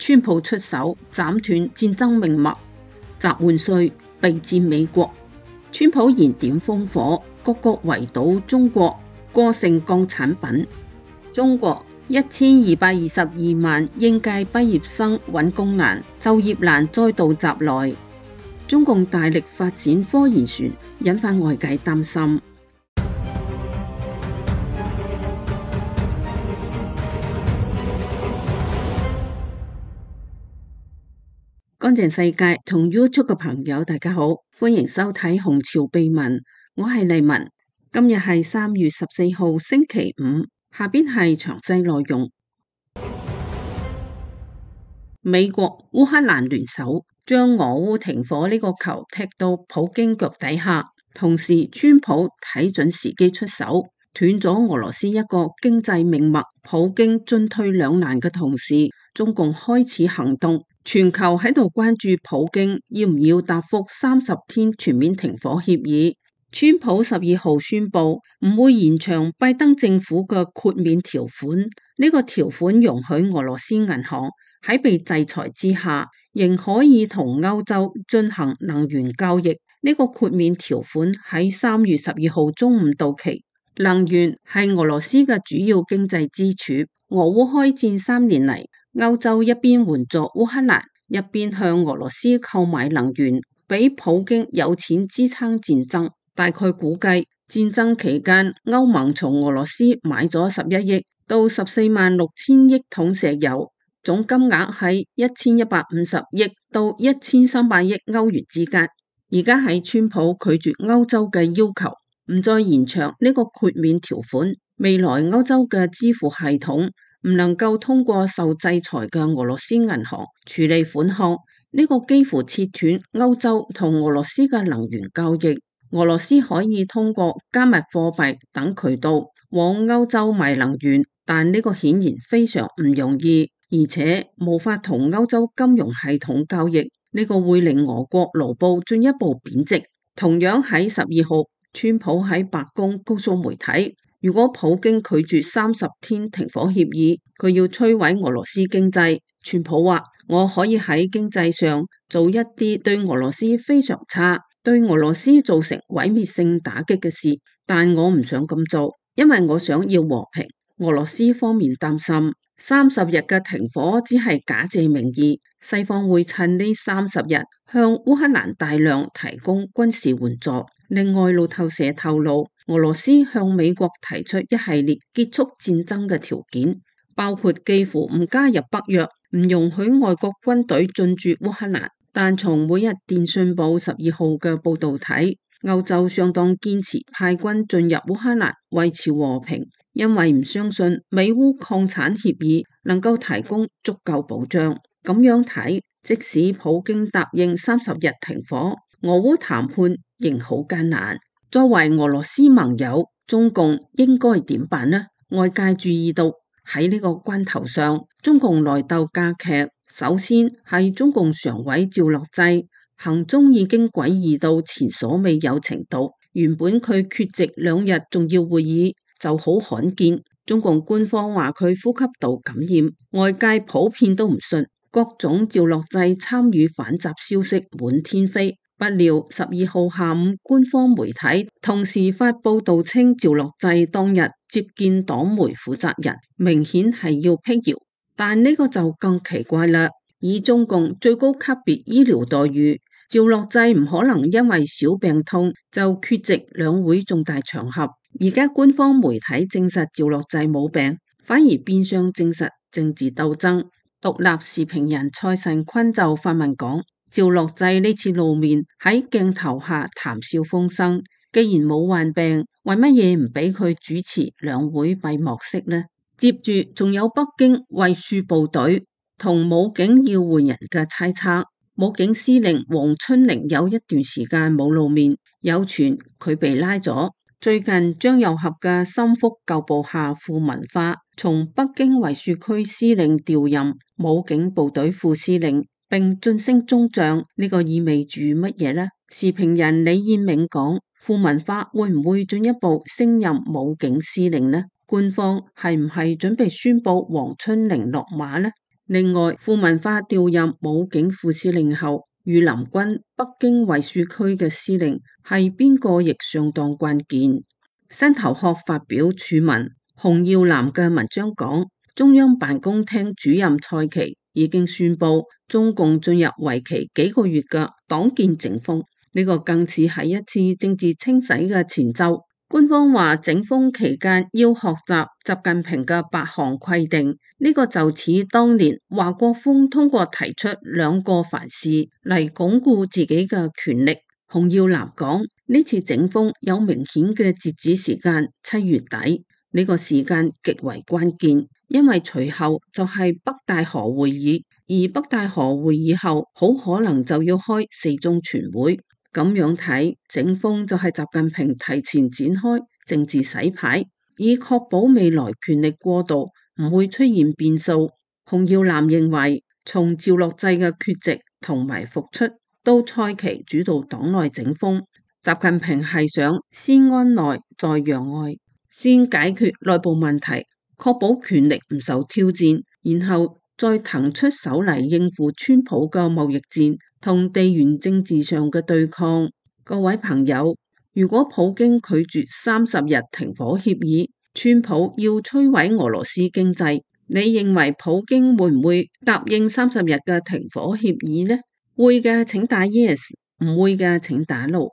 川普出手斬斷戰爭命脈，集換帥備戰美國。川普燃點烽火，各國圍堵中國，過剩鋼產品。中國1222萬應屆畢業生揾工難，就業難再度襲來。中共大力發展科研船，引發外界擔心。乾淨世界同 YouTube 嘅朋友大家好，歡迎收睇紅潮秘聞，我係麗文。今日係3月14號星期五，下邊係詳細內容。美國烏克蘭聯手將俄烏停火呢個球踢到普京腳底下，同時川普睇準時機出手，斷咗俄羅斯一個經濟命脈。普京進退兩難嘅同時，中共開始行動，全球喺度關注普京要唔要答覆30天全面停火協議。川普12號宣布唔會延長拜登政府嘅豁免條款，呢個條款容許俄羅斯銀行喺被制裁之下，仍可以同歐洲進行能源交易。呢個豁免條款喺3月12號中午到期。能源係俄羅斯嘅主要經濟支柱。俄烏開戰3年嚟，歐洲一邊援助烏克蘭，一邊向俄羅斯購買能源，俾普京有錢支撐戰爭。大概估計戰爭期間，歐盟從俄羅斯買咗11億到14萬6千億桶石油，總金額喺1150億到1300億歐元之間。而家喺川普拒絕歐洲嘅要求，唔再延長呢個豁免條款，未來歐洲嘅支付系統唔能夠通過受制裁嘅俄羅斯銀行處理款項，呢個幾乎切斷歐洲同俄羅斯嘅能源交易。俄羅斯可以通過加密貨幣等渠道往歐洲賣能源，但呢個顯然非常唔容易，而且無法同歐洲金融系統交易，呢個會令俄國盧布進一步貶值。同樣喺12號，川普喺白宮告訴媒體，如果普京拒絕30天停火協議，佢要摧毀俄羅斯經濟。川普話：我可以喺經濟上做一啲對俄羅斯非常差，對俄羅斯造成毀滅性打擊嘅事，但我唔想咁做，因為我想要和平。俄羅斯方面擔心30日嘅停火只係假借名義，西方會趁呢30日向烏克蘭大量提供軍事援助。另外，路透社透露，俄羅斯向美國提出一系列結束戰爭嘅條件，包括幾乎唔加入北約，唔容許外國軍隊進駐烏克蘭。但從每日電訊報12號嘅報道睇，歐洲相當堅持派軍進入烏克蘭維持和平，因為唔相信美烏礦產協議能夠提供足夠保障。咁樣睇，即使普京答應30日停火，俄烏談判仍好艱難。作為俄羅斯盟友，中共應該點辦呢？外界注意到喺呢個關頭上，中共內鬥加劇。首先係中共常委趙樂際行蹤已經詭異到前所未有程度，原本佢缺席2日重要會議就好罕見。中共官方話佢呼吸道感染，外界普遍都唔信，各種趙樂際參與反習消息滿天飛。不料12號下午，官方媒體同時發報道稱趙樂際當日接見黨媒負責人，明顯係要闢謠。但呢個就更奇怪啦，以中共最高級別醫療待遇，趙樂際唔可能因為小病痛就缺席兩會重大場合。而家官方媒體證實趙樂際冇病，反而變相證實政治鬥爭。獨立時評人蔡慎坤就發文講，趙樂際呢次露面喺鏡頭下談笑風生，既然冇患病，為乜嘢唔俾佢主持兩會閉幕式呢？接住仲有北京衛戍部隊同武警要換人嘅猜測，武警司令黃春寧有一段時間冇露面，有傳佢被拉咗。最近張又俠嘅心腹舊部下傅文化從北京衛戍區司令調任武警部隊副司令，並晉升中將，呢個意味住乜嘢呢？時評人李燕銘講，傅文化會唔會進一步升任武警司令呢？官方係唔係準備宣布黃春寧落馬呢？另外，傅文華調任武警副司令後，御林軍北京衛戍區嘅司令係邊個亦相當關鍵。新頭殼發表署文，洪耀南嘅文章講，中央辦公廳主任蔡奇已經宣布中共進入為期幾個月嘅黨建整風，呢個更似係一次政治清洗嘅前奏。官方話整風期間要學習習近平嘅8項規定，呢個就似當年華國鋒通過提出2個凡是嚟鞏固自己嘅權力。洪耀南講，呢次整風有明顯嘅截止時間，7月底，呢個時間極為關鍵，因為隨後就係北戴河會議，而北戴河會議後好可能就要開4中全會。咁樣睇，整風就係習近平提前展開政治洗牌，以確保未來權力過渡唔會出現變數。洪耀南認為，從趙樂際嘅缺席同埋復出到蔡奇主導黨內整風，習近平係想先安內再讓外，先解決內部問題，確保權力唔受挑戰，然後再騰出手嚟應付川普嘅貿易戰同地緣政治上嘅對抗。各位朋友，如果普京拒絕30日停火協議，川普要摧毀俄羅斯經濟，你認為普京會唔會答應30日嘅停火協議呢？會嘅請打 yes， 唔會嘅請打 no。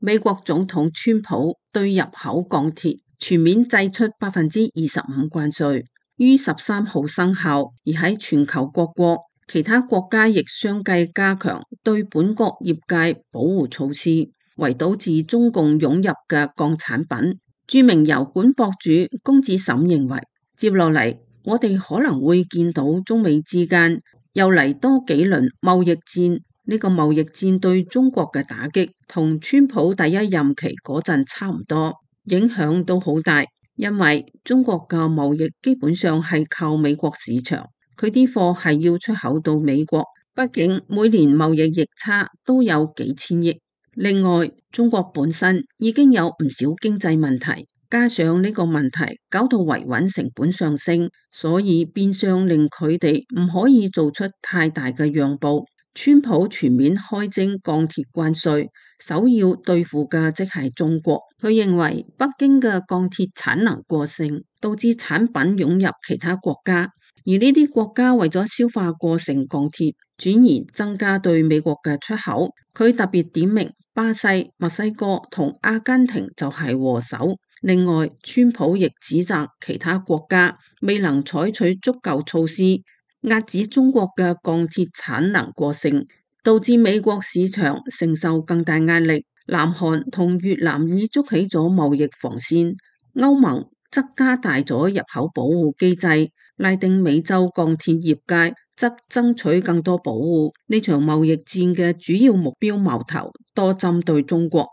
美國總統川普對入口鋼鐵全面祭出25%關稅，於13號生效，而喺全球各國，其他國家亦相繼加強對本國業界保護措施，圍堵自中共湧入嘅鋼產品。著名油管博主公子沈認為，接落嚟我哋可能會見到中美之間又嚟多幾輪貿易戰。呢個貿易戰對中國嘅打擊同川普第一任期嗰陣差唔多，影響都好大，因為中國嘅貿易基本上係靠美國市場，佢啲貨係要出口到美國，畢竟每年貿易逆差都有幾千億。另外，中國本身已經有唔少經濟問題，加上呢個問題搞到維穩成本上升，所以變相令佢哋唔可以做出太大嘅讓步。川普全面開徵鋼鐵關稅，首要對付嘅即係中國。佢認為北京嘅鋼鐵產能過剩，導致產品湧入其他國家，而呢啲國家為咗消化過剩鋼鐵，轉而增加對美國嘅出口。佢特別點名巴西、墨西哥同阿根廷就係禍首。另外，川普亦指責其他國家未能採取足夠措施壓止中國嘅鋼鐵產能過剩，導致美國市場承受更大壓力。南韓同越南已築起咗貿易防線，歐盟則加大咗入口保護機制，拉丁美洲鋼鐵業界則爭取更多保護。呢場貿易戰嘅主要目標矛頭多針對中國。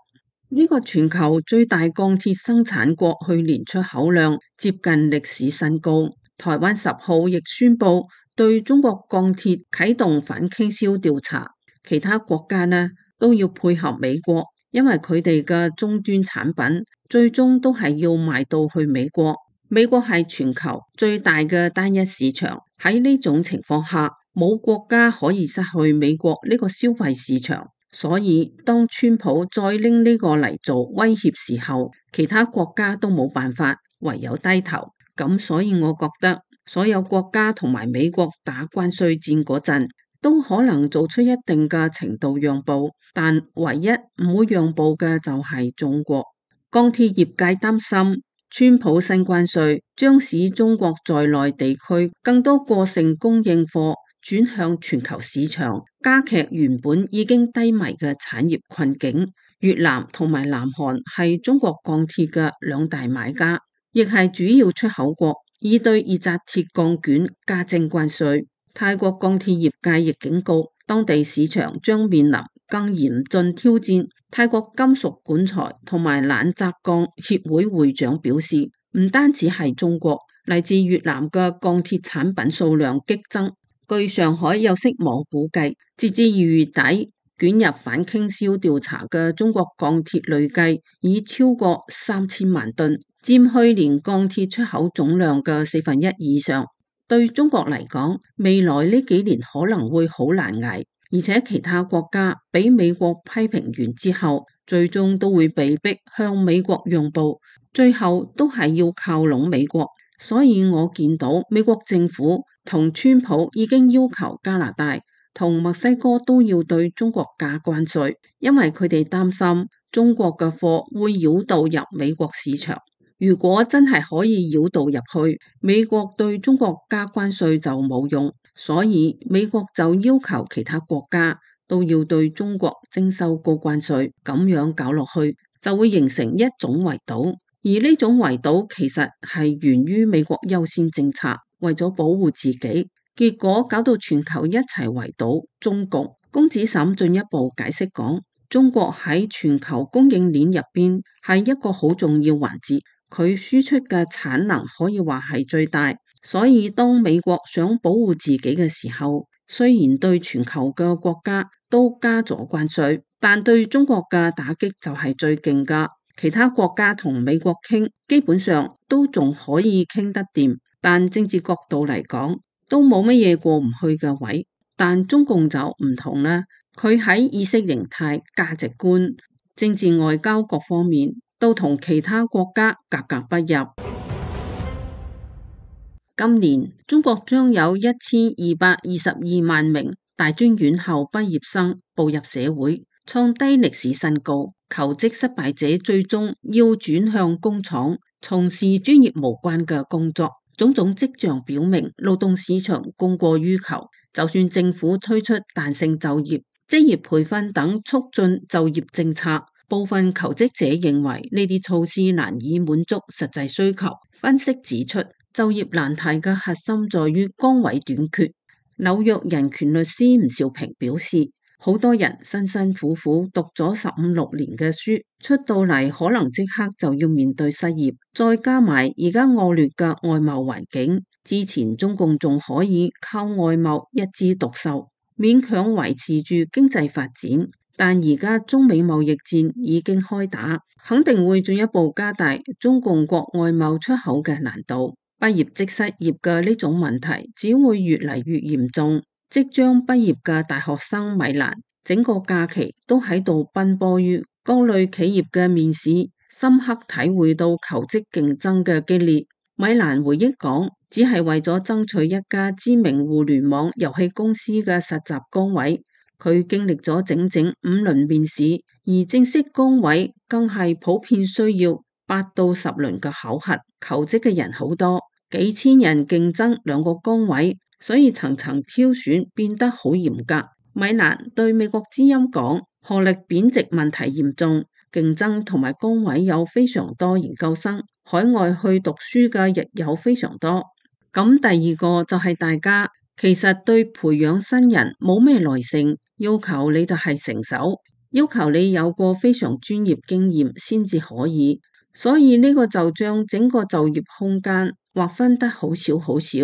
呢個全球最大鋼鐵生產國去年出口量接近歷史新高。台灣10號亦宣布對中國鋼鐵啟動反傾銷調查，其他國家呢都要配合美國，因為佢哋嘅終端產品最終都係要賣到去美國。美國係全球最大嘅單一市場，喺呢種情況下，冇國家可以失去美國呢個消費市場。所以當川普再拎呢個嚟做威脅時候，其他國家都冇辦法，唯有低頭。咁所以我覺得所有國家同埋美國打關稅戰嗰陣，都可能做出一定嘅程度讓步，但唯一唔會讓步嘅就係中國。鋼鐵業界擔心，川普新關稅將使中國在內地區更多過剩供應貨轉向全球市場，加劇原本已經低迷嘅產業困境。越南同埋南韓係中國鋼鐵嘅2大買家，亦係主要出口國，已對二紮鐵鋼卷加徵關稅。泰國鋼鐵業界亦警告，當地市場將面臨更嚴峻挑戰。泰國金屬管材同埋冷軋鋼協會會長表示，唔單止係中國，嚟自越南嘅鋼鐵產品數量激增。據上海有識網估計，截至2月底，捲入反傾銷調查嘅中國鋼鐵累計已超過3000萬噸。佔去年鋼鐵出口總量嘅1/4以上。對中國嚟講，未來呢幾年可能會好難捱，而且其他國家俾美國批評完之後，最終都會被逼向美國讓步，最後都係要靠攏美國。所以我見到美國政府同川普已經要求加拿大同墨西哥都要對中國加關稅，因為佢哋擔心中國嘅貨會繞道入美國市場。如果真係可以繞道入去，美國對中國加關稅就冇用，所以美國就要求其他國家都要對中國徵收高關稅，咁樣搞落去就會形成一種圍堵，而呢種圍堵其實係源於美國優先政策，為咗保護自己，結果搞到全球一齊圍堵中國。龔子沈進一步解釋講，中國喺全球供應鏈入邊係一個好重要環節。佢輸出嘅產能可以話係最大，所以當美國想保護自己嘅時候，雖然對全球嘅國家都加咗關稅，但對中國嘅打擊就係最勁㗎。其他國家同美國傾，基本上都仲可以傾得掂，但政治角度嚟講，都冇乜嘢過唔去嘅位。但中共就唔同啦，佢喺意識形態、價值觀、政治外交各方面，都同其他國家格格不入。今年中國將有1222萬名大專院校畢業生步入社會，創低歷史新高。求職失敗者最終要轉向工廠，從事專業無關嘅工作。種種跡象表明，勞動市場供過於求。就算政府推出彈性就業、職業培訓等促進就業政策，部分求職者認為呢啲措施難以滿足實際需求。分析指出，就業難題嘅核心在於崗位短缺。紐約人權律師吳兆平表示，好多人辛辛苦苦讀咗15、16年嘅書，出到嚟可能即刻就要面對失業，再加埋而家惡劣嘅外貿環境，之前中共仲可以靠外貿一枝獨秀，勉強維持住經濟發展。但而家中美貿易戰已經開打，肯定會進一步加大中共國外貿出口嘅難度。畢業即失業嘅呢種問題只會越嚟越嚴重。即將畢業嘅大學生米蘭，整個假期都喺度奔波於各類企業嘅面試，深刻體會到求職競爭嘅激烈。米蘭回憶講，只係為咗爭取一家知名互聯網遊戲公司嘅實習崗位。佢經歷咗整整5輪面試，而正式崗位更係普遍需要8到10輪嘅考核。求職嘅人好多，幾千人競爭2個崗位，所以層層挑選變得好嚴格。米蘭對美國之音講，學歷貶值問題嚴重，競爭同埋崗位有非常多研究生，海外去讀書嘅亦有非常多。咁第二個就係大家其實對培養新人冇咩耐性，要求你就係成手，要求你有個非常專業經驗先至可以，所以呢個就將整個就業空間劃分得好少好少。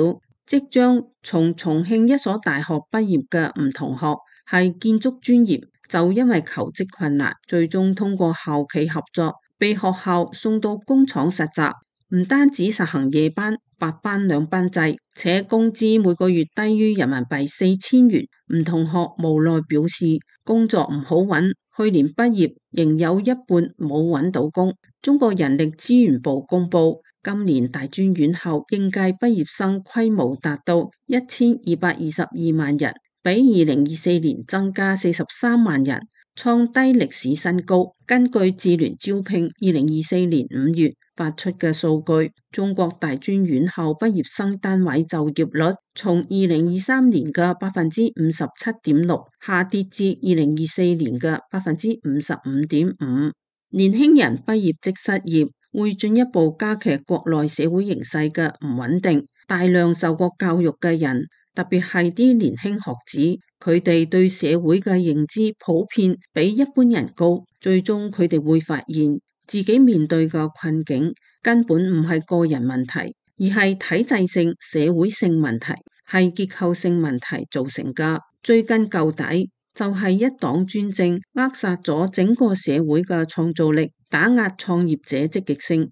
即將從重慶一所大學畢業嘅吳同學係建築專業，就因為求職困難，最終通過校企合作，被學校送到工廠實習，唔單止實行夜班、白班2班制，且工資每個月低於人民幣4000元。吳同學無奈表示，工作唔好揾，去年畢業仍有一半冇揾到工。中國人力資源部公布，今年大專院校應屆畢業生規模達到1222萬人，比2024年增加43萬人，創低歷史新高。根據智聯招聘2024年5月發出嘅數據，中國大專院校畢業生單位就業率從2023年嘅57.6%下跌至2024年嘅55.5%。年輕人畢業即失業，會進一步加劇國內社會形勢嘅唔穩定。大量受過教育嘅人，特別係啲年輕學子，佢哋對社會嘅認知普遍比一般人高，最終佢哋會發現自己面對嘅困境根本唔係個人問題，而係體制性、社會性問題，係結構性問題造成嘅。追根究底，就係一黨專政扼殺咗整個社會嘅創造力，打壓創業者積極性。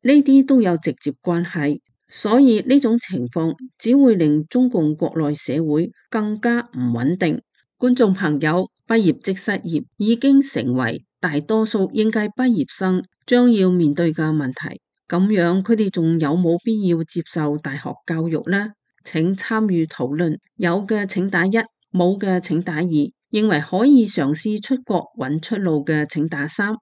呢啲都有直接關係。所以呢種情況只會令中共國內社會更加唔穩定。觀眾朋友，畢業即失業已經成為大多數應屆畢業生將要面對嘅問題。咁樣佢哋仲有冇必要接受大學教育呢？請參與討論，有嘅請打1，冇嘅請打2，認為可以嘗試出國揾出路嘅請打3。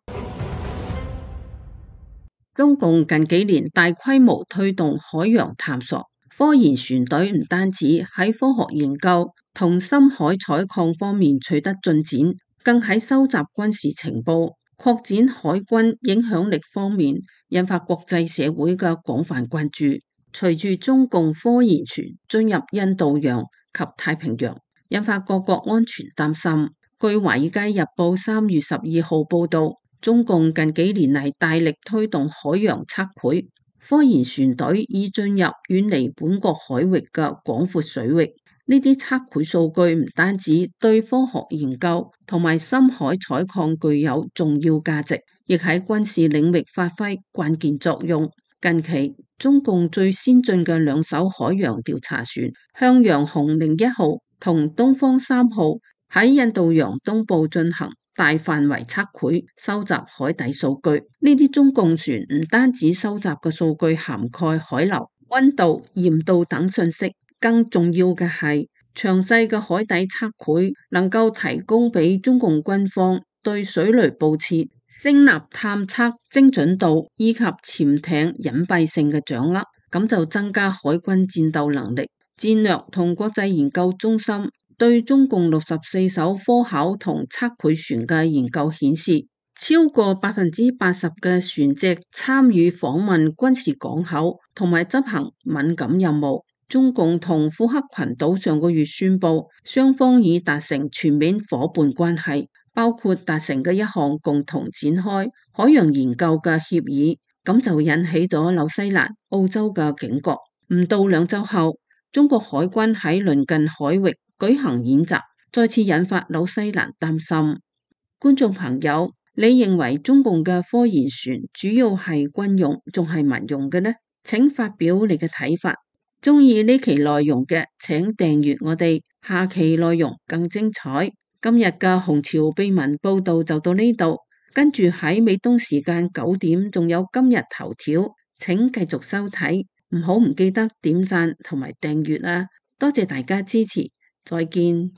中共近幾年大規模推動海洋探索，科研船隊唔單止喺科學研究同深海採礦方面取得進展，更喺收集軍事情報、擴展海軍影響力方面引發國際社會嘅廣泛關注。隨住中共科研船進入印度洋及太平洋，引發各國安全擔心。據《華爾街日報》3月12號報道，中共近幾年嚟大力推動海洋測繪，科研船隊已進入遠離本國海域嘅廣闊水域。呢啲測繪數據唔單止對科學研究同埋深海採礦具有重要價值，亦喺軍事領域發揮關鍵作用。近期，中共最先進嘅2艘海洋調查船向陽紅01號同東方3號喺印度洋東部進行大範圍測繪，收集海底數據。呢啲中共船唔單止收集嘅數據涵蓋海流、溫度、鹽度等信息，更重要嘅係詳細嘅海底測繪能夠提供俾中共軍方對水雷布設、聲納探測精準度以及潛艇隱蔽性嘅掌握，咁就增加海軍戰鬥能力。戰略同國際研究中心對中共64艘科考同測繪船嘅研究顯示，超過80%嘅船隻參與訪問軍事港口同埋執行敏感任務。中共同庫克群島上個月宣布，雙方已達成全面夥伴關係，包括達成嘅一項共同展開海洋研究嘅協議，咁就引起咗紐西蘭、澳洲嘅警覺。唔到2週後，中國海軍喺鄰近海域舉行演習，再次引發紐西蘭擔心。觀眾朋友，你認為中共嘅科研船主要係軍用，仲係民用嘅呢？請發表你嘅睇法。鍾意呢期內容嘅，請訂閱我哋，下期內容更精彩。今日嘅紅潮秘聞報道就到呢度，跟住喺美東時間9點仲有今日頭條，請繼續收睇，唔記得點讚同埋訂閱啊！多謝大家支持，再見。